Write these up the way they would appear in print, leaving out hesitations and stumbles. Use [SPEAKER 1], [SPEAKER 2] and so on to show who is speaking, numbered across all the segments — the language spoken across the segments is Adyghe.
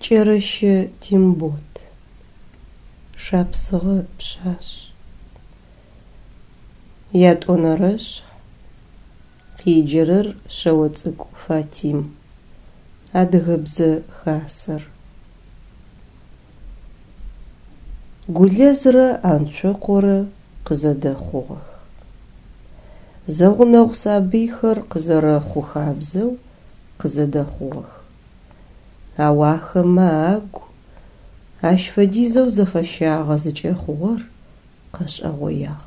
[SPEAKER 1] Кӏэрэщэ Тембот. Шапсыгъэ пшъашъ. Ятӏонэрэшъхь. Къеджэрэр Шъэоцӏыкӏу Фатим. Адыгэбзэ хасэр. Гулэзрэ Анцокъорэ къызэдэхъугъэх. Зэгъунэгъу сабыйхэр къызэрэхъу хабзэу къызэдэхъугъэх. Ау ахэмэ агу ащ фэдизэу зэфэщагъэ зыкӏэхъугъэр къэшӏэгъоягъ.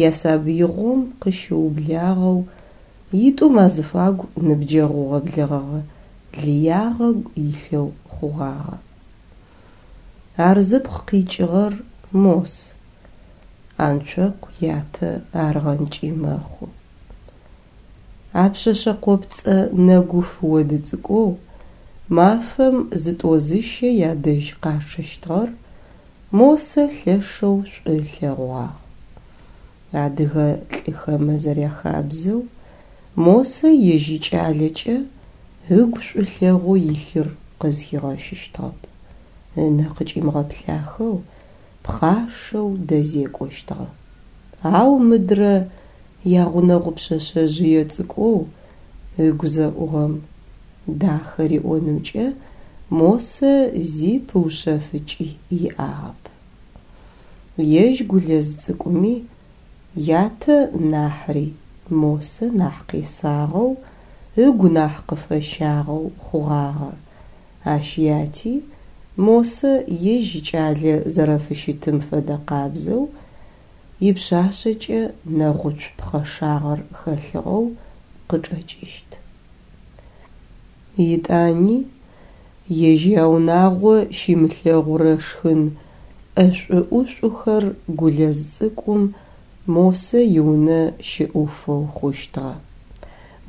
[SPEAKER 1] Ясабыигъом къыщыублагъэу итӏум азыфагу ныбджэгъугъэ-блэгъэгъэ лыягъэ илъэу хъугъагъэ. Ар зыпкъ къикӏыгъэр Мос, Анцокъу ятэ арыгъэнкӏи мэхъу. А пшъэшъэ къопцӏэ нэгуф оды цӏыкӏоу мафэм зытӏо-зыщэ ядэжь къачъэщтыгъэр Мосэ лъэшэу шӏу ылъэгъугъагъ. Адыгэ лӏыхэмэ зэряхабзэу, Мосэ ежь икӏалэкӏэ ыгу шӏулъэгъоу илъыр къызхигъэщыщтыгъэп, ынэ къыкӏимыгъэплъахэу, пхъашэу дэзекӏощтыгъэ. Ау мыдрэ ягъунэгъу пшъэшъэжъые цӏыкӏоу ыгу зэӏугъэм дахэ риӏонымкӏэ Мосэ зи пыушъэфыкӏи иӏагъэп. Ежь Гулэз цӏыкӏуми ятэ нахьри Мосэ нахь къесагъэу, ыгу нахь къыфэщагъэу хъугъагъэ. Ащ яти Мосэ ежь икӏалэ зэрэфыщытым фэдэ къабзэу ипшъашъэкӏэ нэгъуцу пхъэшагъэр хэлъыгъэу къычӏэкӏыщт. Етӏани ежь яунагъо щимылъэгъурэ шхын ӏэшӏу-ӏушӏухэр Гулэз цӏыкӏум Мосэ иунэ щыӏуфэу хъущтыгъэ.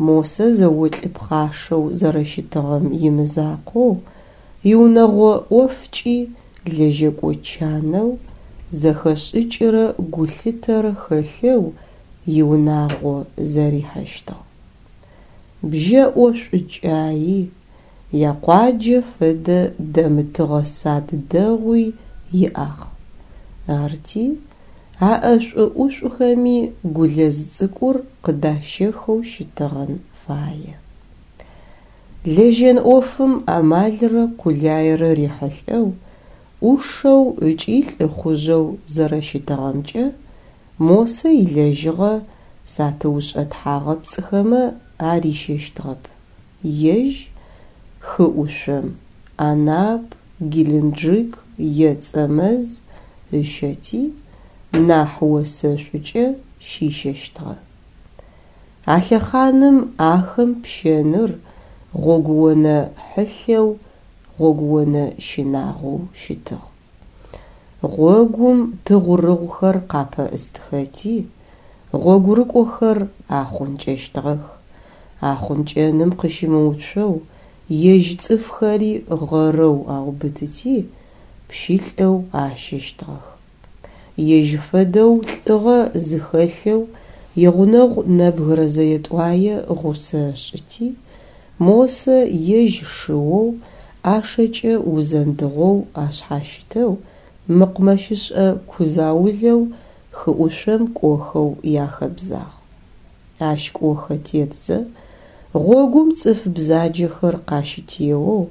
[SPEAKER 1] Мосэ зэолӏ пхъашэу зэрэщытыгъэм имызакъоу, иунэгъо ӏофкӏи лэжьэкӏо чанэу, зэхэшӏыкӏырэ гулъытэрэ хэлъэу иунагъо зэрихьэщтыгъ. Бжьэӏо шӏукӏаи, якъуаджэ фэдэ дэмытыгъэ сад дэгъуи иӏагъ. Арти, а ӏэшӏу-ӏушӏухэми Гулэз цӏыкӏур къыдащэхэу щытыгъэн фае. Лэжьэн ӏофым амалрэ къулайрэ рихьылӏэу, ӏушэу ыкӏи лӏыхъужъэу зэрэщытыгъэмкӏэ Мосэ илэжьыгъэ сатыушӏэ тхьагъэпцӏыхэмэ арищэщтыгъэп, ежь хы ӏушъом, Анап, Геленджик е Цӏэмэз ыщэти, нахь осэшӏукӏэ щищэщтыгъэ. А лъэхъаным ахэм пщэныр гъогуонэ хьылъэу, гъогуонэ щынагъоу щытыгъ. Гъогум тыгъурыгъухэр къапэӏыстхэти, гъогурыкӏохэр ахъункӏэщтыгъэх. Ахъункӏэным къыщымыуцоу, ежь цӏыфхэри гъэрэу аубытыти, пщылӏэу ащэщтыгъэх. Ежь фэдэу лӏыгъэ зыхэлъэу игъунэгъу нэбгырэ зэе-тӏуае гъусэ ышӏыти, Мосэ ежь шыоу, ӏашэкӏэ узэндыгъэу ашъхьащытэу, мэкъумэщышӏэ ку заулэу хыӏушъом кӏохэу яхэбзагъ. Ащ кӏохэ тетзэ, гъогум цӏыф бзаджэхэр къащытеоу,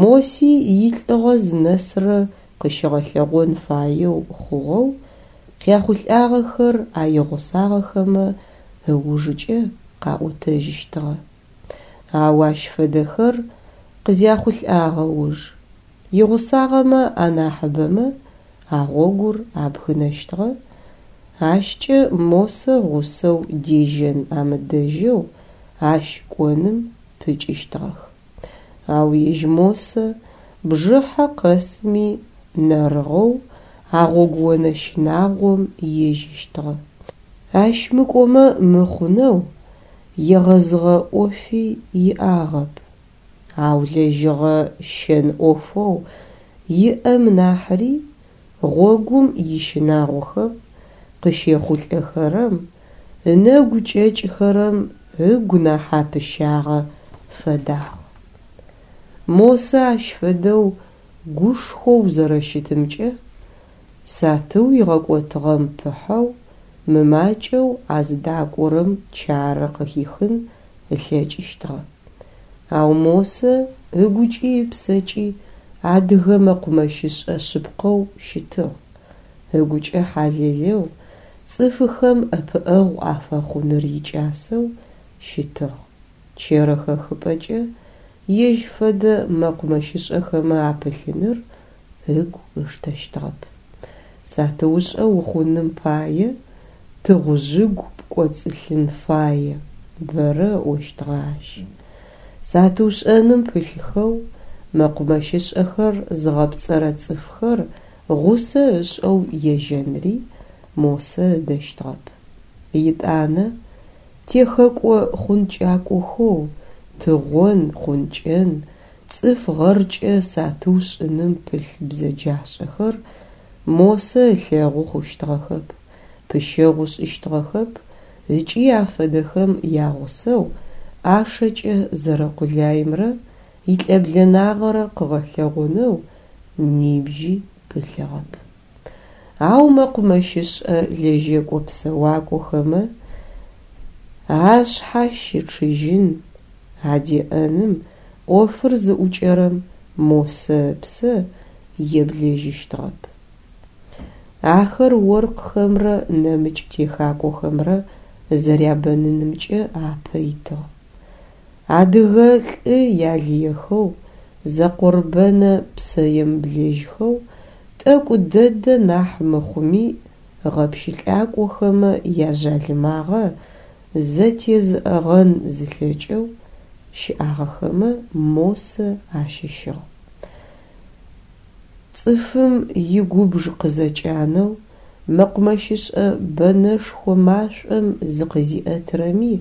[SPEAKER 1] Моси илӏыгъэ зынэсрэ къыщигъэлъэгъон фаеу хъугъэу, къяхъулӏагъэхэр а игъусагъэхэмэ ыужыкӏэ къаӏотэжьыщтыгъэ. Ау ащ фэдэхэр къызяхъулӏагъэ уж, игъусагъэмэ анахьыбэмэ а гъогур абгынэщтыгъэ, ащкӏэ Мосэ гъусэу дежьэн амыдэжьэу ащ кӏоным пыкӏыщтыгъэх. Ау ежь Мосэ бжыхьэ къэсми нэрыгъэу а гъогуонэ щынагъом ежьэщтыгъэ. Ащ мыкӏомэ мыхъунэу егъэзыгъэ ӏофи иӏагъэп, ау лэжьыгъэ щэн ӏофэу иӏэм нахьри гъогум ищынагъохэм къыщехъулӏэхэрэм, ынэгу кӏэкӏхэрэм ыгу нахь апыщагъэ фэдагъ. Мосэ ащ фэдэу гушхоу зэрэщытымкӏэ сатыу игъэкӏотыгъэм пыхьэу мымакӏэу а зыдакӏорэм чарэ къыхихын ылъэкӏыщтыгъэ. Ау Мосэ ыгукӏи ыпсэкӏи адыгэ мэкъумэщышӏэ шъыпкъэу щытыгъ, ыгукӏэ хьалэлэу, цӏыфыхэм ӏэпыӏэгъу афэхъуныр икӏасэу щытыгъ. Чэрэ хэхыпӏэкӏэ ежь фэдэ мэкъумэщышӏэхэмэ апылъыныр ыгу ыштэщтыгъэп. Сатыушӏэ ухъуным пае тыгъужъыгу пкӏоцӏылъын фае, бэрэ ыӏощтыгъэ ащ. Сатыушӏэным пылъхэу мэкъумэщышӏэхэр зыгъэпцӏэрэ цӏыфхэр гъусэ ышӏэу ежьэнри Мосэ ыдэщтыгъэп. Етӏанэ техэкӏо-хъункӏакӏохэу тыгъон, хъункӏэн, цӏыф гъэркӏэ сатыу шӏыным пылъ бзэджашӏэхэр Мосэ ылъэгъу хъущтыгъэхэп, пыщэгъу ышӏыщтыгъэхэп ыкӏи афэдэхэм ягъусэу ӏашэкӏэ зэрэкъулаимрэ илӏэблэнагъэрэ къыгъэлъэгъонэу нибжьи пылъыгъэп. Ау мэкъумэщышӏэ лэжьэкӏо-псэуакӏохэмэ ашъхьащычъыжьын, адеӏэным ӏофыр зыӏукӏэрэм Мосэ ыпсэ еблэжьыщтыгъэп. Ахэр оркъхэмрэ нэмыкӏ техакӏохэмрэ зэрябэнынымкӏэ апэ итыгъ. Адыгэ лӏы ялыехэу, зэкъорбэнэ псэемыблэжьхэу, тӏэкӏу дэдэ нахь мыхъуми гъэпщылӏакӏохэмэ яжъалымагъэ зэтезыӏэгъэн зылъэкӏэу щыӏагъэхэмэ Мосэ ащыщыгъ. Цӏыфым игубж къызэкӏанэу, мэкъумэщышӏэ бэнэшхо машӏом зыкъызиӏэтырэми,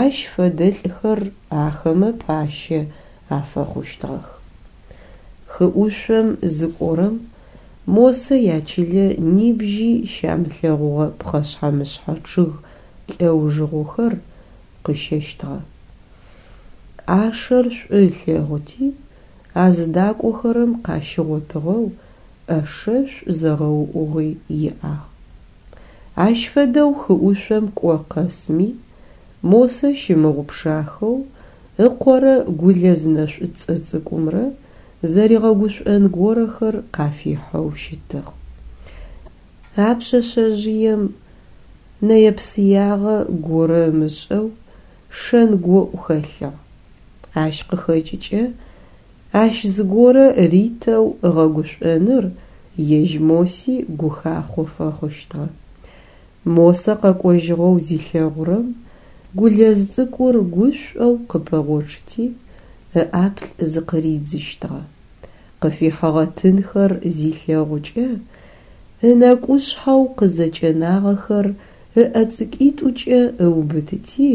[SPEAKER 1] ащ фэдэлӏхэр ахэмэ пащэ афэхъущтыгъэх. Хыӏушъом зыкӏорэм Мосэ ячылэ нибжьи щамылъэгъугъэ пхъэшъхьэ-мышъхьэ чъыг лӏэужыгъохэр къыщэщтыгъэ. ӏашэр шӏу ылъэгъути, а зыдакӏохэрэм къащигъотыгъэу ӏэшэшӏу зэгъэуӏугъи иӏагъ. Ащ фэдэу хыӏушъом кӏо къэсми, Мосэ щымыгъупшахэу ыкъорэ Гулэз нэшӏуцӏэ цӏыкӏумрэ зэригъэгушӏон горэхэр къафихьэу щытыгъ. А пшъэшъэжъыем нэе-псыягъэ горэ ымышӏэу шэн гоӏу хэлъыгъ. Ащ къыхэкӏыкӏэ ащ зыгорэ ритэу ыгъэгушӏоныр ежь Моси гухахъо фэхъущтыгъэ. Мосэ къэкӏожьыгъэу зилъэгъурэм, Гулэз цӏыкӏур гушӏоу къыпэгъочъыти, ыӏаплӏ зыкъыридзыщтыгъэ. Къыфихьыгъэ тынхэр зилъэгъукӏэ, ынэкӏушъхьэу къызэкӏэнагъэхэр ыӏэ цӏыкӏуитӏукӏэ ыубытыти,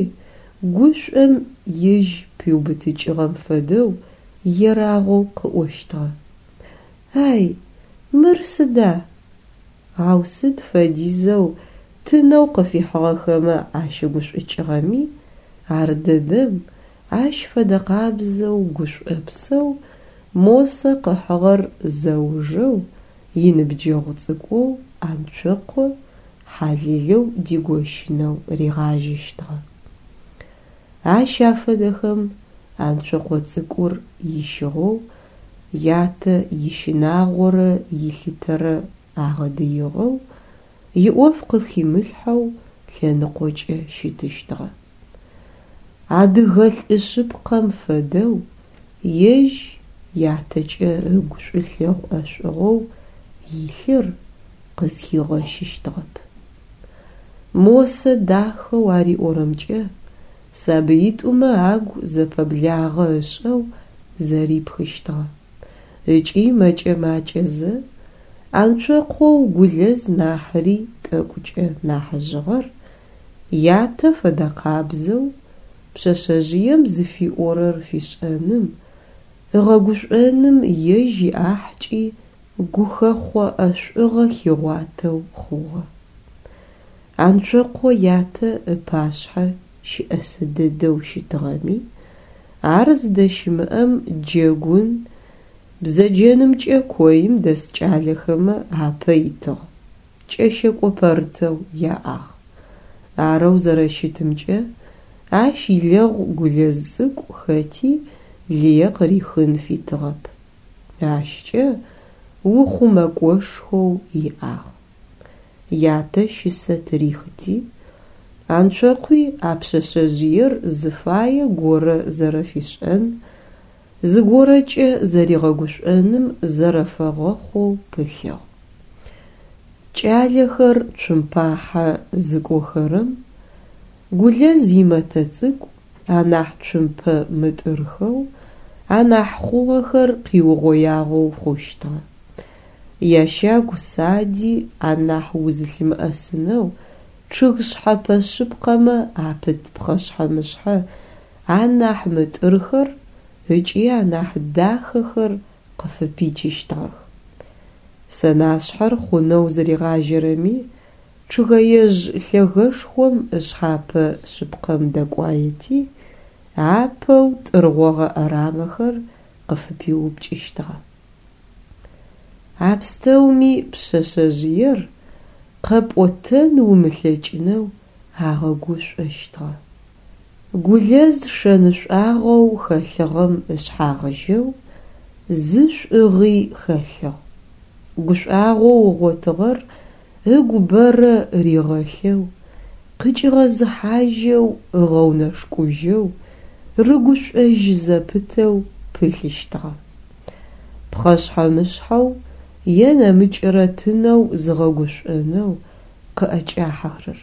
[SPEAKER 1] гушӏом ижь пиубытыкӏыгъэм фэдэу ерагъоу къыӏощтыгъэ. Ай, мыр сыда? Ау сыд фэдизэу тынэу къыфихьыгъэхэмэ ащыгушӏукӏыгъэми, ардэдэм ащ фэдэ къабзэу гушӏопсэу Мосэ къыхьыгъэр зэужэу иныбджэгъу цӏыкӏоу Анцокъо Хьалилэу дигощынэу ригъажьэщтыгъэ. Ащ афэдэхэм Анцокъо цӏыкӏур ищыгъэу, ятэ ищынагъорэ илъытэрэ агъэдыигъэу, иӏоф къыхимылъхьэу лъэныкъокӏэ щытыщтыгъэ. Адыгэ лӏы шъыпкъэм фэдэу ежь ятэкӏэ ыгу шӏулъэгъу ӏэшӏугъэу илъыр къызхигъэщыщтыгъэп. Мосэ дахэу ариӏорэмкӏэ сабыитӏумэ агу зэпэблагъэ ышӏэу зэрипхыщтыгъэ. Ыкӏи мэкӏэ-макӏэзэ Анцокъоу Гулэз нахьри тӏэкӏукӏэ нахьыжъыгъэр ятэ фэдэкъабзэу пшъэшъэжъыем зыфиӏорэр фишӏэным, ыгъэгушӏоным ежь иӏахькӏи гухэхъо ӏэшӏугъэ хигъуатэу хъугъэ. Анцокъо ятэ ыпашъхьэ щыӏэсэ дэдэу щытыгъэми, Ар зыдэщымыӏэм джэгун, бзэджэнымкӏэ коим дэс кӏалэхэмэ апэ итыгъ, кӏэщэкӏо пэрытэу яӏагъ. Арэу зэрэщытымкӏэ, ащ илэгъу Гулэз цӏыкӏу хэти лые къырихын фитыгъэп. Ащкӏэ ухъумэкӏошхоу иӏагъ. Ятэ щысэ тырихыти, Анцокъуи а пшъэшъэжъыер зыфае горэ зэрэфишӏэн, зыгорэкӏэ зэригъэгушӏоным зэрэфэгъэхъоу пылъыгъ. Кӏалэхэр цумпахьэ зыкӏохэрэм, Гулэз имэтэ цӏыкӏу анахь цумпэ мытӏырхэу, анахь хъугъэхэр къиугъоягъэу хъущтыгъэ. Ящагу сади анахь узылъымыӏэсынэу чъыг шъхьэпэ шъыпкъэмэ апыт пхъэшъхьэ-мышъхьэ анахь мытӏырхэр ыкӏи анахь дахэхэр къыфыпичыщтыгъэх. Сэнашъхьэр хъунэу зыригъажьэрэми, чъыгэежъ лъэгэшхом ышъхьапэ шъыпкъэм дэкӏуаети, апэу тӏыргъогъэ ӏэрамэхэр къыфыпиупкӏыщтыгъэ. А пстэуми пшъэшъэжъыер къэпӏотэн умылъэкӏынэу агъэгушӏощтыгъэ. Гулэз шэнышӏуагъэу хэлъыгъэм ышъхьагъыжьэу зы шӏугъи хэлъыгъ. Гушӏуагъоу ыгъотыгъэр ыгу бэрэ ригъэлъэу, къыкӏигъэзыхьажьэу, ыгъэунэшкӏужьэу, рыгушӏожь зэпытэу пылъыщтыгъэ. Пхъэшъхьэ-мышъхьэу е нэмыкӏырэ тынэу зыгъэгушӏонэу къыӏэкӏахьэрэр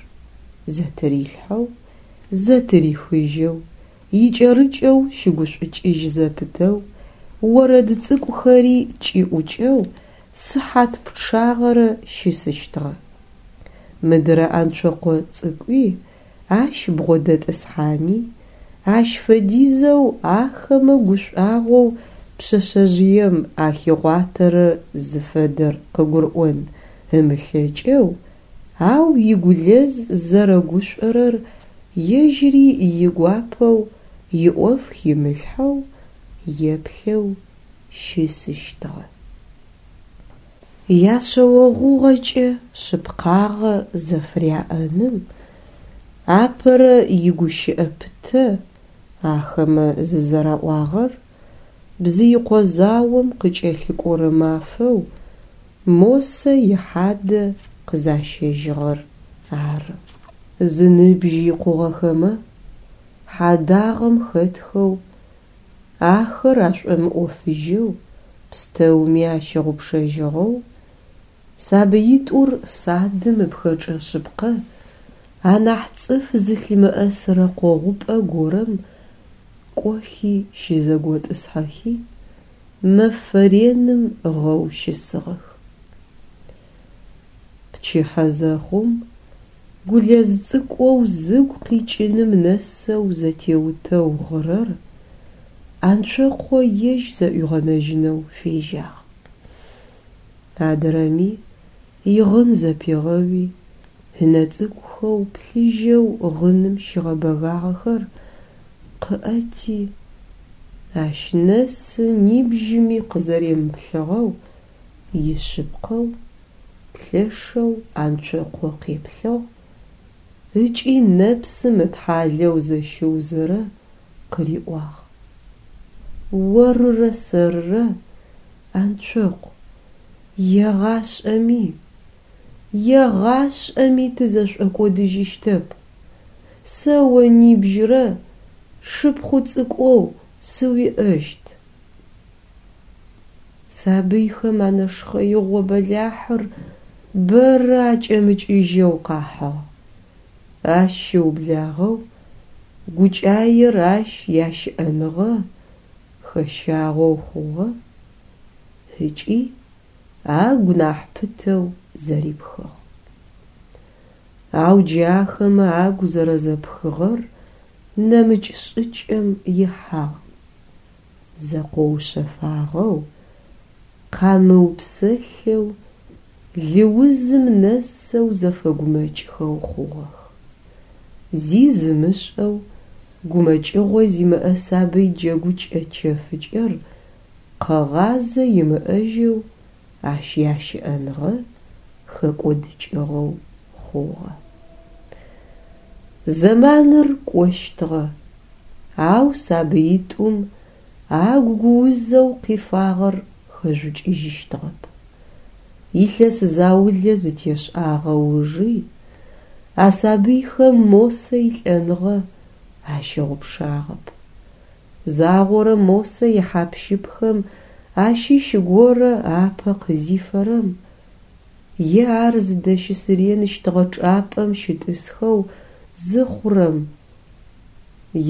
[SPEAKER 1] зэтырилъхьэу, зэтырихыжьэу, икӏэрыкӏэу щыгушӏукӏыжь зэпытэу, орэд цӏыкӏухэри кӏиӏукӏэу сыхьат пчъагъэрэ щысыщтыгъэ. Мыдырэ Анцокъо цӏыкӏуи ащ бгъодэтӏысхьани, ащ фэдизэу ахэмэ гушӏуагъоу пшъэшъэжъыем ахигъуатэрэр зыфэдэр къыгурыӏон ымылъэкӏэу, ау и Гулэз зэрэгушӏорэр ежьыри игуапэу иӏоф химылъхьэу еплъэу щысыщтыгъэ. Яшъэогъугъэкӏэ шъыпкъагъэ зэфыряӏэным апэрэ игущыӏэ пытэ ахэмэ зызэраӏуагъэр Бзыикъо заом къыкӏэлъыкӏорэ мафэу Мосэ ихьадэ къызащэжьыгъэр ары. Зыныбжь икъугъэхэмэ хьадагъэм хэтхэу, ахэр ашӏомыӏофыжьэу, пстэуми ащыгъупшэжьыгъэу, сабыитӏур садым ыпхэкӏэ шъыпкъэ анахь цӏыф зылъымыӏэсырэ къогъупӏэ горэм кӏохи щызэготӏысхьэхи, мэфэ реным гъэу щысыгъэх. Пчыхьэ зэхъум, Гулэз цӏыкӏоу зыгу къикӏыным нэсэу зэтеутэу гъырэр Анцокъо ежь зэӏуигъэнэжьынэу фежьагъ. Адрэми игъын зэпигъэуи, ынэ цӏыкӏухэу плъыжьэу гъыным щигъэбэгагъэхэр къыӏэти, ащ нэсы нибжьыми къызэремыплъыгъэу ишъыпкъэу, лъэшэу Анцокъо къеплъыгъ ыкӏи нэпсым ытхьалэу зэщыузэрэ къыриӏуагъ: Орырэ сэрырэ, Анцокъу, егъашӏэми, егъашӏэми тызэшӏокӏодыжьыщтэп. Сэ о нибжьырэ шыпхъу цӏыкӏоу сыуиӏэщт. Сабыйхэм а нэшхъэигъо бэлахьыр бэрэ акӏэмыкӏыжьэу къахьыгъ. Ащ щыублагъэу гукӏаер ащ ящыӏэныгъэ хэщагъэу хъугъэ ыкӏи агу нахь пытэу зэрипхыгъ. Ау джы ахэмэ агу зэрэзэпхыгъэр нэмыкӏ шӏыкӏэм ихьагъ. Зэкъоушъэфагъэу, къамыупсэлъэу, лыузым нэсэу зэфэгумэкӏхэу хъугъэх. Зи зымышӏэу, Гумэкӏыгъо зимыӏэ сабый джэгукӏэ чэфыкӏэр къэгъазэ имыӏэжьэу ащ ящыӏэныгъэ хэкӏодыкӏыгъэу хъугъэ. Зэманыр кӏощтыгъэ, ау сабыитӏум агу гуузэу къифагъэр хэжъукӏыжьыщтыгъэп. Илъэс заулэ зытешӏагъэ ужи а сабыйхэм Мосэ илӏэныгъэ ащыгъупшагъэп. Загъорэ Мосэ ихьап-щыпхэм ащыщ горэ апэ къызифэрэм е ар зыдэщысыреныщтыгъэ чӏапӏэм щытӏысхэу зыхъурэм,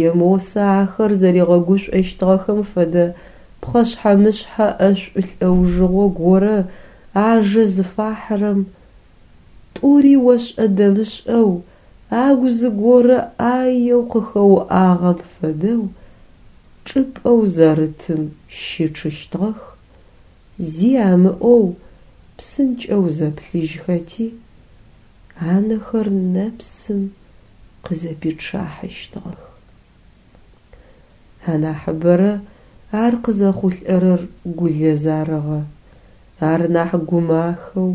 [SPEAKER 1] е Мосэ ахэр зэригъэгушӏощтыгъэхэм фэдэ пхъэшъхьэ-мышъхьэ ӏэшӏу лӏэужыгъо горэ ажэ зыфахьырэм, тӏури ошӏэ-дэмышӏэу агу зыгорэ ӏаеу къыхэуӏагъэм фэдэу чӏыпӏэу зэрытым щычъыщтыгъэх, зи амыӏоу псынкӏэу зэплъыжьхэти, анэхэр нэпсым къызэпичъахьыщтыгъэх. Анахьыбэрэ ар къызэхъулӏэрэр Гулэз арыгъэ. Ар нахь гумахэу,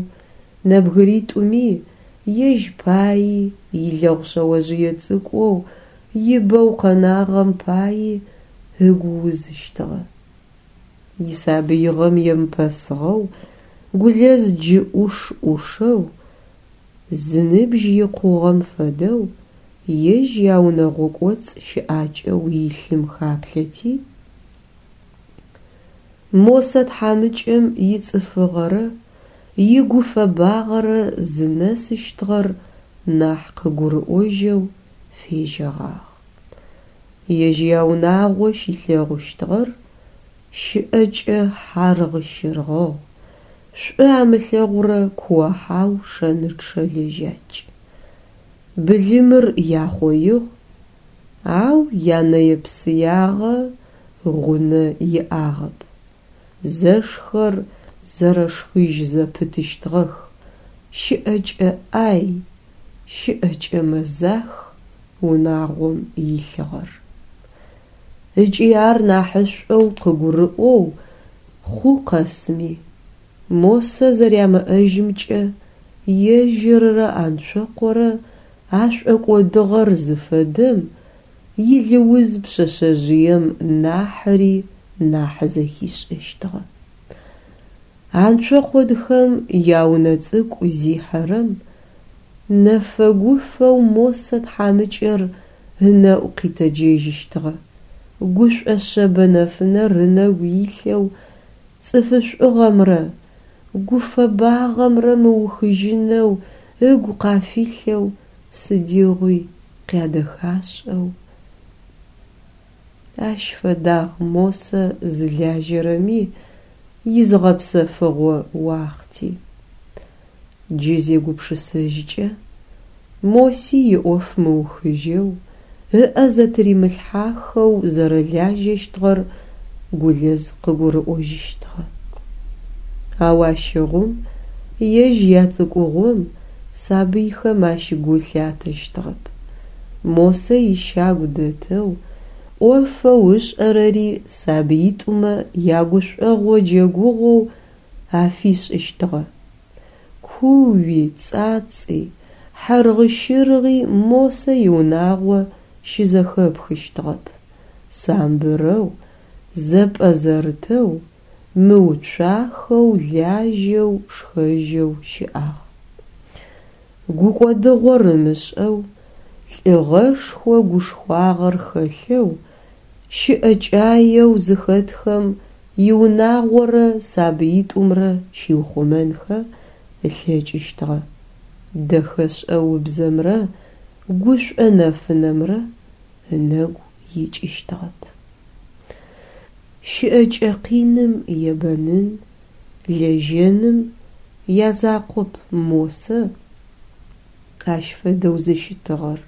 [SPEAKER 1] нэбгыритӏуми, ежь паи, илэгъу шъэожъые цӏыкӏоу ибэу къэнагъэм паи ыгу узыщтыгъэ. Исабыигъэм емыпэсыгъэу Гулэз джы ӏуш-ӏушэу, зыныбжь икъугъэм фэдэу ежь яунэгъо кӏоцӏ щыӏакӏэу илъым хаплъэти, Мосэ тхьамыкӏэм ицӏыфыгъэрэ игуфэбагъэрэ зынэсыщтыгъэр нахь къыгурыӏожьэу фежьэгъагъ. Ежь яунагъо щилъэгъущтыгъэр щыӏэкӏэ хьаргъ-щыргъыгъ, шӏу амылъэгъурэ куо-хьау шэнычъэ лэжьакӏ. Былымыр яхъоигъ, ау янэе-псыягъэ гъунэ иӏагъэп. Зэшхэр зэрэшхыжь зэпытыщтыгъэх, щыӏэкӏэ ӏай, щыӏэкӏэ мэзах унагъом илъыгъэр. Ыкӏи ар нахьышӏоу къыгурыӏоу хъу къэсми, Мосэ зэрямыӏэжьымкӏэ ежьыррэ Анцокъорэ ашӏокӏодыгъэр зыфэдэм илыуз пшъэшъэжъыем нахьыри нахь зэхишӏэщтыгъэ. Анцокъодхэм яунэ цӏыкӏу зихьэрэм, нэфэ-гуфэу Мосэ тхьамыкӏэр ынэӏу къитэджэжьыщтыгъэ, гушӏо шъэбэ нэфынэр ынэгу илъэу цӏыфышӏугъэмрэ гуфэбагъэмрэ мыухыжьынэу ыгу къафилъэу сыдигъуи къядэхашӏэу. Ащ фэдагъ Мосэ зылажьэрэми изыгъэпсэфыгъо уахъти. Джы зегупшысэжькӏэ, Моси иӏоф мыухыжьэу, ыӏэ зэтыримылъхьахэу зэрэлажьэщтыгъэр Гулэз къыгурыӏожьыщтыгъэ. Ау ащыгъум, ежь яцӏыкӏугъом, сабыйхэм ащ гу лъатэщтыгъэп. Мосэ ищагу дэтэу, ӏофэу ышӏэрэри сабыитӏумэ ягушӏогъо джэгугъоу афишӏыщтыгъэ. Кууи, цӏацӏи, хьэргъы-щыргъи Мосэ иунагъо щызэхэпхыщтыгъэп. Самбырэу, зэпӏэзэрытэу, мыуцуахэу лажьэу, шхэжьэу щыӏагъ. Гукӏодыгъор ымышӏэу, лӏыгъэшхо гушхуагъэр хэлъэу, щыӏэкӏаеу зыхэтхэм иунагъорэ сабыитӏумрэ щиухъумэнхэ ылъэкӏыщтыгъэ. Дэхэшӏэ убзэмрэ гушӏо нэфынэмрэ ынэгу икӏыщтыгъэп. Щыӏэкӏэ къиным ебэнын, лэжьэным язакъоп Мосэ ащ фэдэу зыщытыгъэр.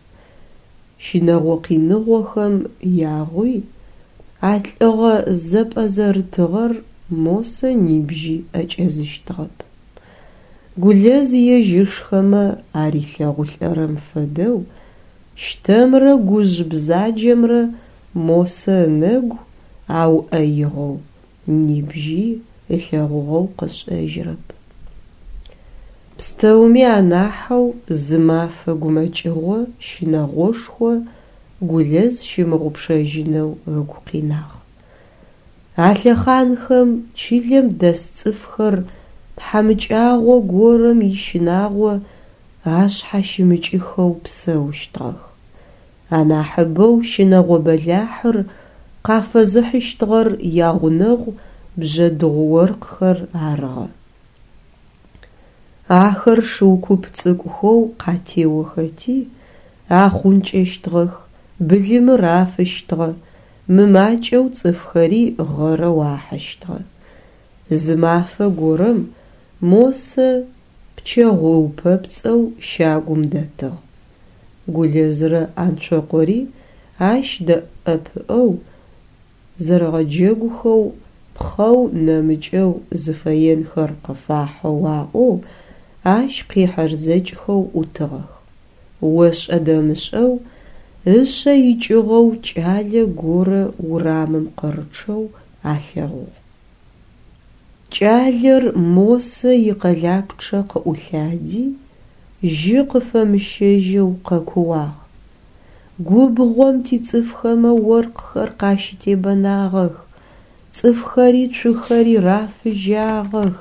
[SPEAKER 1] Щынэгъо къиныгъохэм ягъуи а лӏыгъэ зэпӏэзэрытыгъэр Мосэ нибжьи ӏэкӏэзыщтыгъэп. Гулэз ежь ышхэмэ арилъэгъулӏэрэм фэдэу. Щтэмрэ гужъ бзаджэмрэ Мосэ ынэгу ауӏэигъэу нибжьи ылъэгъугъэу къышӏэжьырэп. Пстэуми анахьэу зы мафэ гумэкӏыгъо щынэгъошхо Гулэз щымыгъупшэжьынэу ыгу къинагъ. А лъэхъанхэм чылэм дэс цӏыфхэр тхьамыкӏагъо горэм ищынагъо ашъхьащымыкӏыхэу псэущтыгъэх. Анахьыбэу щынэгъо бэлахьыр къафэзыхьыщтыгъэр ягъунэгъу бжъэдыгъу оркъхэр арыгъэ. Ахэр шыу куп цӏыкӏухэу къатеохэти, ахъункӏэщтыгъэх, былымыр афыщтыгъэ, мымакӏэу цӏыфхэри гъэрэу ахьыщтыгъэ. Зы мафэ горэм Мосэ пчэгъу ыупэпцӏэу щагум дэтыгъ. Гулэзрэ Анцокъори ащ дэӏэпыӏэу зэрэгъэджэгухэу, пхъэу нэмыкӏэу зыфэенхэр къыфахьэу аӏоу ащ къехьэрзэкӏхэу ӏутыгъэх. Ошӏэ-дэмышӏэу ышъэ икӏыгъэу кӏалэ горэ урамым къырычъэу алъэгъугъ. Кӏалэр Мосэ икъэлапчъэ къыӏулъади, жьы къыфэмыщэжьэу къэкууагъ. Губгъом тицӏыфхэмэ оркъхэр къащытебэнагъэх, цӏыфхэри цухэри рафыжьагъэх.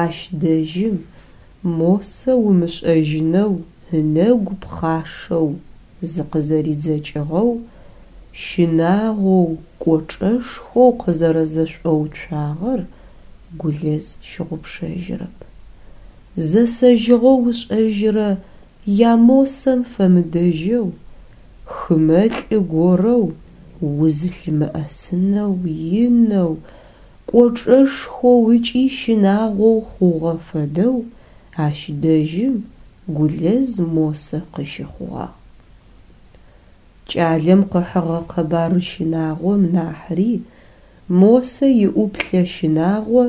[SPEAKER 1] Ащ дэжьым Мосэ умышӏэжьынэу ынэгу пхъашэу зыкъызэридзэкӏыгъэу, щынагъоу, кӏочӏэшхоу къызэрэзэшӏоуцуагъэр Гулэз щыгъупшэжьырэп. Зэсэжьыгъэу ышӏэжьырэ я Мосэм фэмыдэжьэу, хымэлӏы горэу узылъымыӏэсынэу инэу, кӏочӏэшхоу ыкӏи щынагъоу хъугъэ фэдэу ащ дэжьым Гулэз Мосэ къыщыхъугъагъ. Кӏалэм къыхьыгъэ къэбар щынагъом нахьри Мосэ иӏуплъэ щынагъо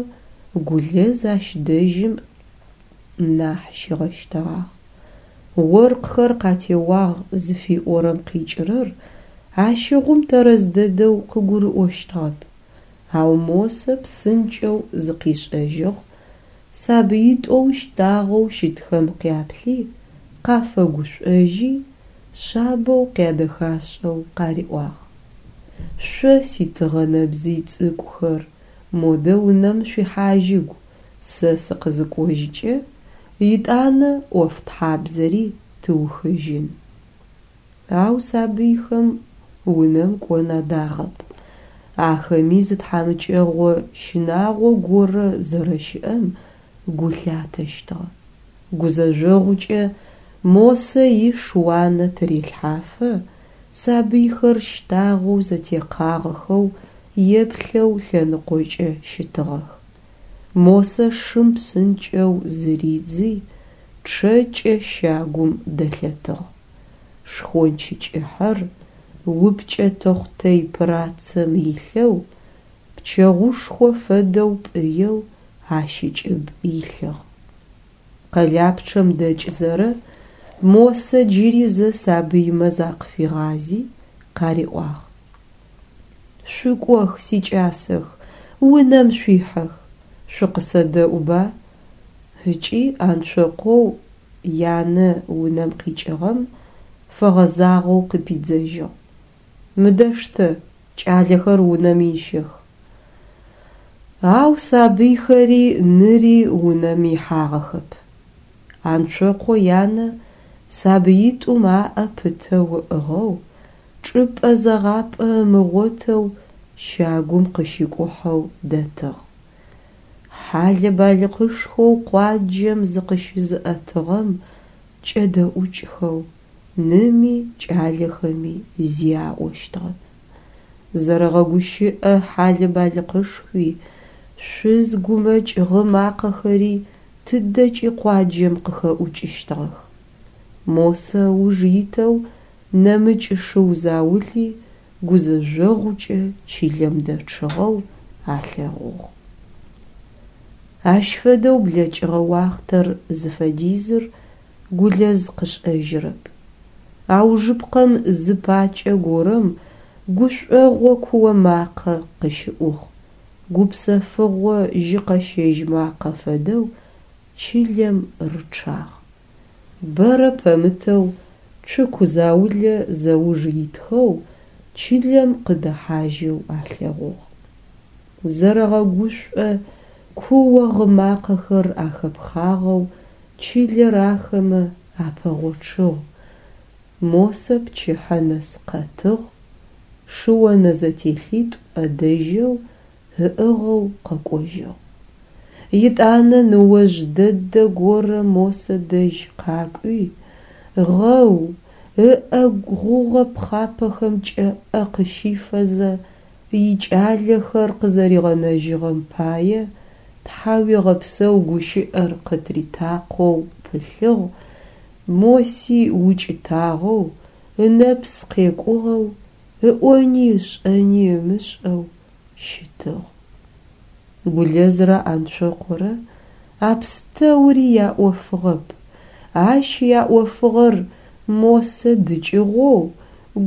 [SPEAKER 1] Гулэз ащ дэжьым нахь щигъэщтэгъагъ. Оркъхэр къатеуагъ зыфиӏорэм къикӏырэр ащыгъум тэрэз дэдэу къыгурыӏощтыгъэп. Ау Мосэ псынкӏэу зыкъишӏэжьыгъ, сабыитӏоу щтагъэу щытхэм къяплъи, къафэгушӏожьи, шъабэу къядэхашӏэу къариӏуагъ. Шъо, ситыгъэ нэбзый цӏыкӏухэр, модэ унэм шъуихьажьыгу, сэ сыкъызыкӏожькӏэ, итӏанэ ӏофтхьабзэри тыухыжьын. Ау сабыйхэм унэм кӏон адагъэп. Ахэми зы тхьамыкӏэгъо щынагъо горэ зэрэщыӏэм гу лъатэщтыгъэ. Гузэжъогъукӏэ Мосэ иш уанэ тырелъхьафэ, сабыйхэр щтагъэу зэтекъагъэхэу еплъэу лъэныкъокӏэ щытыгъэх. Мосэ шым псынкӏэу зыридзи, чъэкӏэ щагум дэлъэтыгъ. Шхонч кӏыхьэр упкӏэ тэхъутэй пырацэм илъэу, пчэгъушхо фэдэу пӏыеу ащ ыкӏыб илъыгъ. Къэлапчъэм дэкӏзэрэ Мосэ джыри зэ сабыймэ закъыфигъази, къариӏуагъ. Шъукӏох, сикӏасэх, унэм шъуихьэх, шъукъысэдэӏуба? Ыкӏи Анцокъоу янэ унэм къикӏыгъэм фэгъэзагъэу къыпидзэжьыгъ. Мыдэ штэ, кӏалэхэр унэм ищэх. Ау сабыйхэри ныри унэм ихьагъэхэп. Анцокъо янэ сабыитӏум аӏэ пытэу ыӏыгъэу, чӏыпӏэ зэгъапӏэ ымыгъотэу щагум къыщикӏухьэу дэтыгъ. Хьалэ-балыкъышхоу къуаджэм зыкъыщызыӏэтыгъэм кӏэдэӏукӏхэу ными кӏалэхэми зи аӏощтыгъэп. Зэрэгъэгущыӏэ хьалэ-балыкъышхуи, шъуз гумэкӏ гъы макъэхэри тыдэкӏи къуаджэм къыхэӏукӏыщтыгъэх. Мосэ ыуж итэу нэмыкӏ шыу заули гузэжъогъукӏэ чылэм дэчъыгъэу алъэгъугъ. Ащ фэдэу блэкӏыгъэ уахътэр зыфэдизыр Гулэз къышӏэжьырэп. Аужыпкъэм зы пакӏэ горэм гушӏогъо куо макъэ къыщыӏугъ, гупсэфыгъо жьыкъэщэжь макъэ фэдэу чылэм рычъагъ. Бэрэ пэмытэу цуку заулэ зэуж итхэу чылэм къыдэхьажьэу алъэгъугъ. Зэрэгъэгушӏо куо-гъы макъэхэр ахэпхъагъэу чылэр ахэмэ апэгъочъыгъ. Мосэ пчыхьэ нэс къэтыгъ, шыонэзэтелъитӏу ӏэдэжьэу ыӏыгъэу къэкӏожьыгъ. Етӏанэ ныожъ дэдэ горэ Мосэ дэжь къакӏуи, гъэу, ыӏэгу гъугъэ пхъапэхэмкӏэ ӏэ къыщифэзэ, икӏалэхэр къызэригъэнэжьыгъэм пае тхьауегъэпсэу гущыӏэр къытритакъоу пылъыгъ, Моси укӏытагъэу, ынэпс къекӏугъэу, ыӏони ышӏэни ымышӏэу щытыгъ. Гулэзрэ Анцокъорэ а пстэури яӏофыгъэп, ащ яӏофыгъэр Мосэ дыкӏыгъоу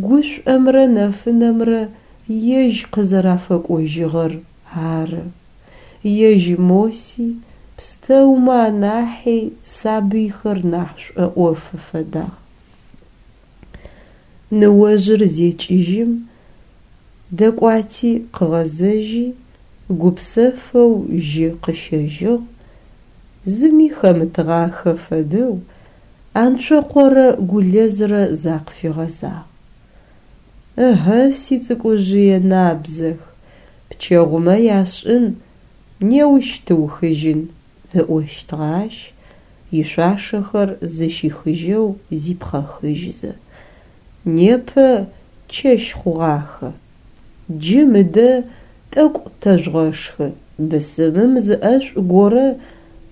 [SPEAKER 1] гушӏомрэ нэфынэмрэ ежь къызэрафэкӏожьыгъэр ары. Ежь Моси пстэумэ анахьи сабыйхэр нахь шӏоӏофы фэдагъ. Ныожъыр зекӏыжьым, дэкӏуати къыгъэзэжьи, гупсэфэу жьы къыщэжьыгъ, зыми хэмытыгъахэ фэдэу Анцокъорэ Гулэзрэ закъыфигъэзагъ. Ыхьы, сицӏыкӏужъые набзэх, пчэгъумэ яшӏын неущ тыухыжьын, ыӏощтыгъэ ащ, ишъуашэхэр зыщихыжьэу зипхъэхыжьзэ. Непэ чэщ хъугъахэ. Джы мыдэ тӏэкӏу тэжъугъэшхы, бысымым зы ӏэшӏу горэ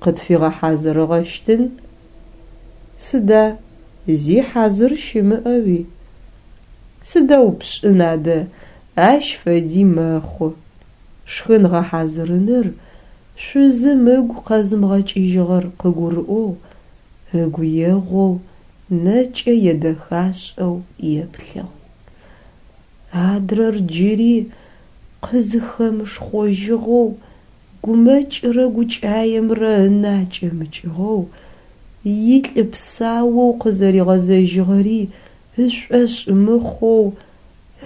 [SPEAKER 1] къытфигъэхьазырыгъэщтын. Сыда, зи хьазыр щымыӏэуи? Сыдэу пшӏын адэ, ащ фэди мэхъу. Шхын гъэхьазырыныр шъузым ыгу къэзымыгъэкӏыжьыгъэр къыгурыӏоу, ыгу егъоу, нэкӏэ едэхашӏэу еплъыгъ. Адрэр джыри къызыхэмышхъожьыгъэу, гумэкӏрэ гукӏаемрэ ынэ акӏэмыкӏыгъэу, илӏы псаоу къызэригъэзэжьыгъэри ышӏошъ мыхъоу,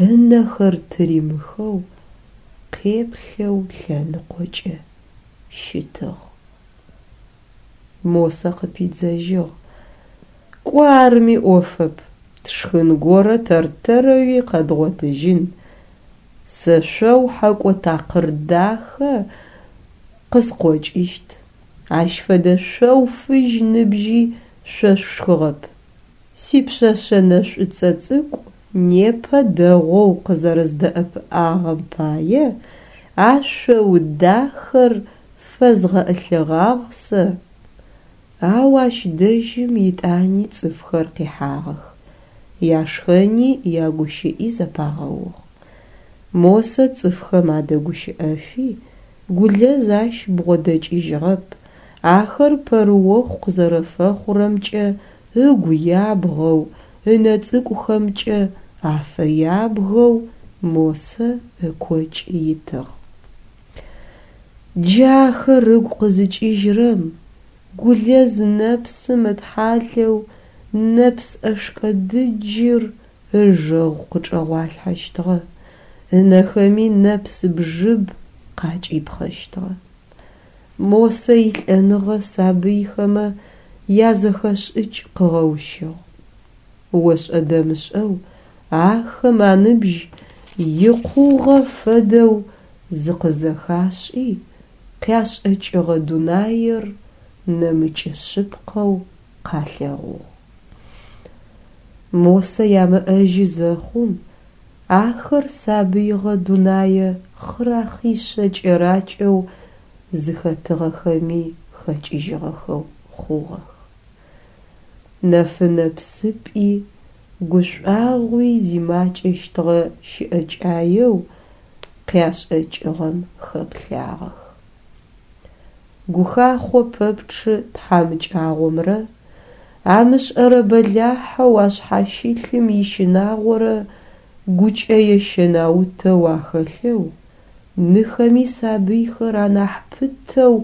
[SPEAKER 1] ынэхэр тыримыхэу, къеплъэу лъэныкъокӏэ щытыгъ. Мосэ къыпидзэжьыгъ, Кӏо арми ӏофэп, тшхын горэ тэр-тэрэуи къэдгъотыжьын. Сэ шъоу хьэкӏо такъыр дахэ къыскъокӏыщт, ащ фэдэ шъоу фыжь ныбжьи шъо шъушхыгъэп. Сипшъэшъэ нэшӏуцӏэ цӏыкӏу непэ дэгъоу къызэрэздэӏэпыӏагъэм пае а шъоу дахэр фэзгъэӏылъыгъагъ сэ. Ау ащ дэжьым итӏани цӏыфхэр къихьагъэх, яшхэни ягущыӏи зэпагъэугъ. Мосэ цӏыфхэм адэгущыӏэфи, Гулэз ащ бгъодэкӏыжьыгъэп, ахэр пэрыохъу къызэрэфэхъурэмкӏэ ыгу ябгъэу, ынэ цӏыкӏухэмкӏэ афэябгэу Мосэ ыкокӏ итыгъ. Джы ахэр ыгу къызыкӏыжьрэм, Гулэз нэпсым ытхьалэу нэпс ӏэшкӏэ дыджыр ыжэгъу къычӏэгъуалъхьэщтыгъэ, ынэхэми нэпс бжыб къакӏипхъэщтыгъэ. Мосэ илӏэныгъэ сабыйхэмэ язэхэшӏыкӏ къыгъэущыгъ. Ошӏэ-дэмышӏэу ахэм аныбжь икъугъэ фэдэу зыкъызэхашӏи, къяшӏэкӏыгъэ дунаир нэмыкӏ шъыпкъэу къалъэгъугъ. Мосэ ямыӏэжьы зэхъум, ахэр сабыигъэ дунае хъырахъишъэ кӏэракӏэу зыхэтыгъэхэми хэкӏыжьыгъэхэу хъугъэх. Нэфынэ псыпӏи, гушӏуагъуи зимакӏэщтыгъэ щыӏэкӏаеу къяшӏэкӏыгъэм хэплъагъэх. Гухахъо пэпчъы тхьамыкӏагъомрэ. Амышӏэрэ бэлахьэу ашъхьащылъым ищынагъорэ гукӏэе щэнаутэу ахэлъэу, ныхэми сабыйхэр анахь пытэу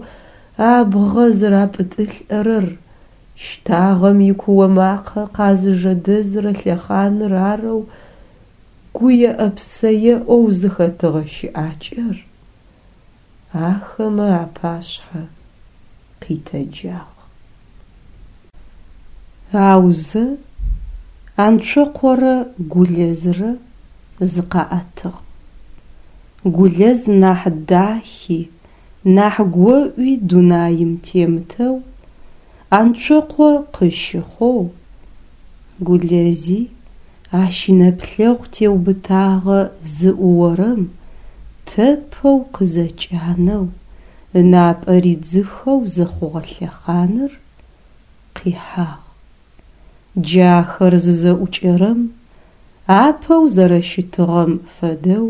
[SPEAKER 1] абгъэ зырапӏытӏылӏэрэр щтагъэм икуо макъэ къазыжэдэзырэ лъэхъаныр арэу гуеӏэ-псэеӏоу зыхэтыгъэ щыӏакӏэр ахэмэ апашъхьэ къитэджагъ. Аузэ, Анцокъорэ Гулэзрэ зыкъаӏэтыгъ. Гулэз нахь дахи, нахь гоӏуи дунаим темытэу Анцокъо къыщыхъоу, Гулэзи ащ инэплъэгъу теубытагъэ зыӏуорэм тэпэу къызэкӏанэу, ынапӏэ ридзыхэу зыхъугъэ лъэхъаныр къихьагъ. Джахэр зызэӏукӏэрэм, апэу зэрэщытыгъэм фэдэу,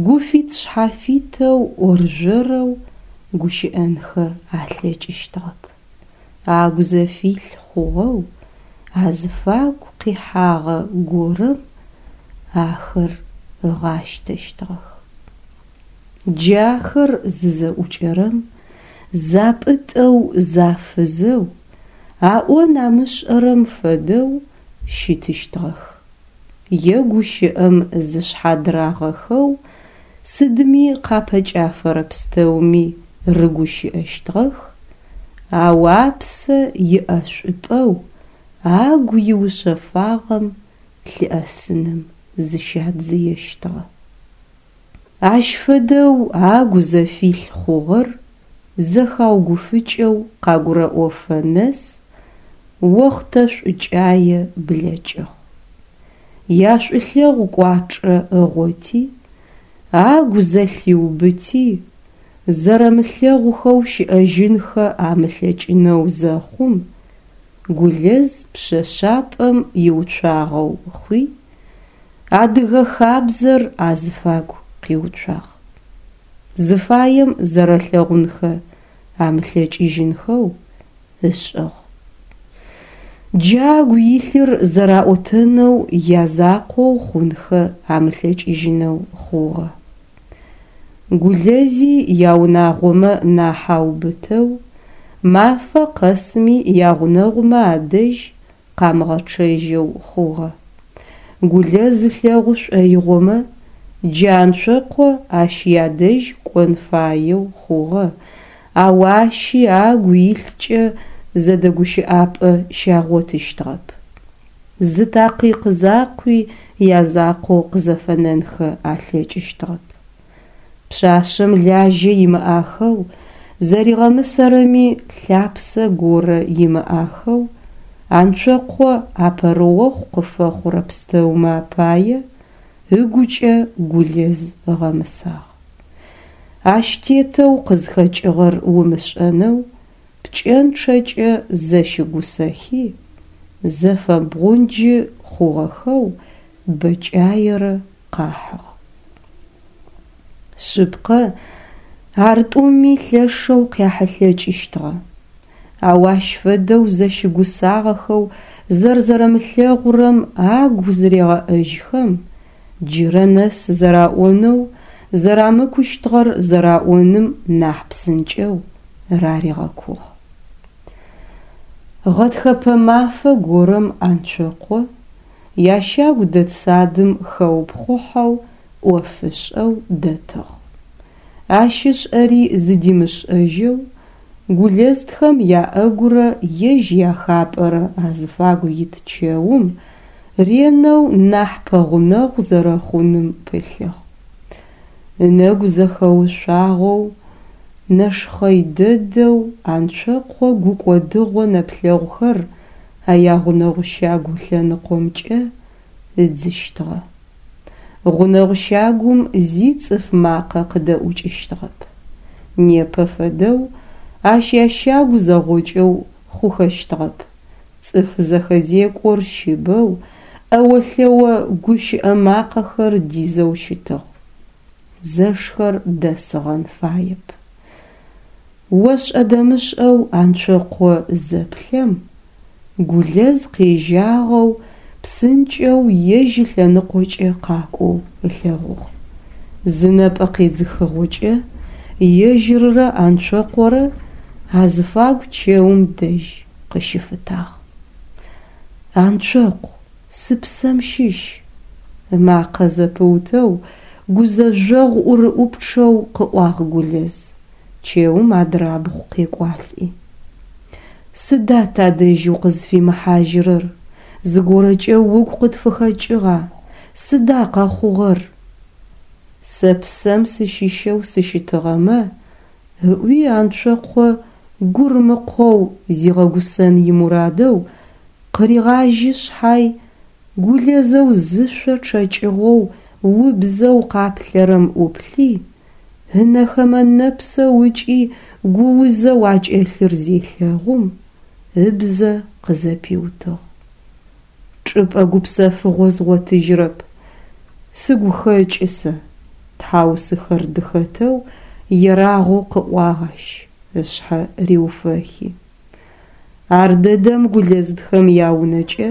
[SPEAKER 1] гуфит-шъхьафитэу ӏоржъорэу гущыӏэнхэ алъэкӏыщтыгъэп. Агу зэфилъ хъугъэу азыфагу къихьагъэ горэм ахэр ыгъащтэщтыгъэх. Джахэр зызэӏукӏэрэм, запӏытӏэу зафызэу, аӏон амышӏэрэм фэдэу щытыщтыгъэх. Е гущыӏэм зышъхьадырагъэхэу сыдми къапэкӏафэрэ пстэуми рыгущыӏэщтыгъэх, ау апсэ иӏэшӏупӏэу агу иушъэфагъэм лъыӏэсыным зыщадзыещтыгъэ. Ащ фэдэу агу зэфилъ хъугъэр зэхаугуфыкӏэу къагурэӏофэ нэс охътэ шӏукӏае блэкӏыгъ. Яшӏулъэгъу кӏуачӏэ ыгъоти, агу зэлъиубыти, зэрэмылъэгъухэу щыӏэжьынхэ амылъэкӏынэу зэхъум, Гулэз пшъэшъапӏэм иуцуагъэу хъуи, адыгэ хабзэр азыфагу къиуцуагъ. Зыфаем зэрэлъэгъунхэ амылъэкӏыжьынхэу ышӏыгъ. Джы агу илъыр зэраӏотэнэу язакъоу хъунхэ амылъэкӏыжьынэу хъугъэ. Гулэзи яунагъомэ нахь аубытэу, мафэ къэсми ягъунэгъумэ адэжь къамыгъэчъэжьэу хъугъэ. Гулэз ылъэгъу шӏоигъомэ, джы Анцокъо ащ ядэжь кӏон фаеу хъугъэ, ау ащи агу илъкӏэ зэдэгущыӏапӏэ щагъотыщтыгъэп. Зы такъикъ закъуи язакъоу къызэфэнэнхэ алъэкӏыщтыгъэп. Пшъашъэм лажьэ имыӏахэу, зэригъэмысэрэми лъапсэ горэ имыӏахэу, Анцокъо а пэрыохъу къыфэхъурэ пстэумэ апае ыгукӏэ Гулэз ыгъэмысагъ. Ащ тетэу къызхэкӏыгъэр умышӏэнэу пкӏэнчъэкӏэ зэщыгусэхи, зэфэбгъунджы хъугъэхэу бэкӏаерэ къахьыгъ. Шъыпкъэ, ар тӏуми лъэшэу къяхьылъэкӏыщтыгъэ. Ау ащ фэдэу зэщыгусагъэхэу зэрзэрэмылъэгъурэм агу зырегъэӏэжьхэм, джырэ нэс зэраӏонэу зэрамыкущтыгъэр зэраӏоным нахь псынкӏэу раригъэкугъ. Гъэтхэпэ мафэ горэм Анцокъо ящагу дэт садым хэупхъухьэу ӏоф ышӏэу дэтыгъ. Ащ ышӏэри зыдимышӏэжьэу Гулэзтхэм яӏэгурэ ежь яхапӏэрэ азыфагу ит чэум ренэу нахь пэгъунэгъу зэрэхъуным пылъыгъ. Ынэгу зэхэушъуагъэу, нэшхъэй дэдэу Анцокъо гукӏодыгъо нэплъэгъухэр а ягъунэгъу щагу лъэныкъомкӏэ ыдзыщтыгъэ. Гъунэгъу щагум зи цӏыф макъэ къыдэӏукӏыщтыгъэп. Непэ фэдэу ащ ящагу зэгъокӏэу хъухэщтыгъэп. Цӏыф зэхэзекӏор щыбэу, ӏэо-лъэо гущыӏэ макъэхэр дизэу щытыгъ. Зэшхэр дэсыгъэн фаеп. Ошӏэ-дэмышӏэу Анцокъо зэплъэм, Гулэз къежьагъэу псынкӏэу ежь ылъэныкъокӏэ къакӏоу ылъэгъугъ. Зы нэпӏэ къедзыхыгъокӏэ ежьыррэ Анцокъорэ азыфагу чэум дэжь къыщыфытагъ. Анцокъу, сыпсэм щыщ! Ымакъэ зэпыутэу, гузэжъогъу ӏурыӏупчъэу къыӏуагъ Гулэз, чэум адрабгъу къекӏуалӏи. Сыда тадэжь укъызфимыхьажьырэр? Зыгорэкӏэ угу къытфыхэкӏыгъа? Сыда къэхъугъэр? Сэ псэм сыщыщэу сыщытыгъэмэ, ыӏуи Анцокъо гурмыкъоу зигъэгусэн имурадэу къыригъажьи шъхьай, Гулэзэу зышъо чъэкӏыгъэу убзэу къаплъэрэм ӏуплъи, ынэхэмэ нэпсэу ыкӏи гуузэу акӏэлъыр зелъэгъум, ыбзэ къызэпиутыгъ. Чӏыпӏэ гупсэфыгъо згъотыжьрэп. Сыгу хэкӏы сэ, тхьаусыхэр дыхэтэу ерагъэу къыӏуагъ ащ, ышъхьэ риуфэхи. Ардэдэм Гулэздхэм яунэкӏэ.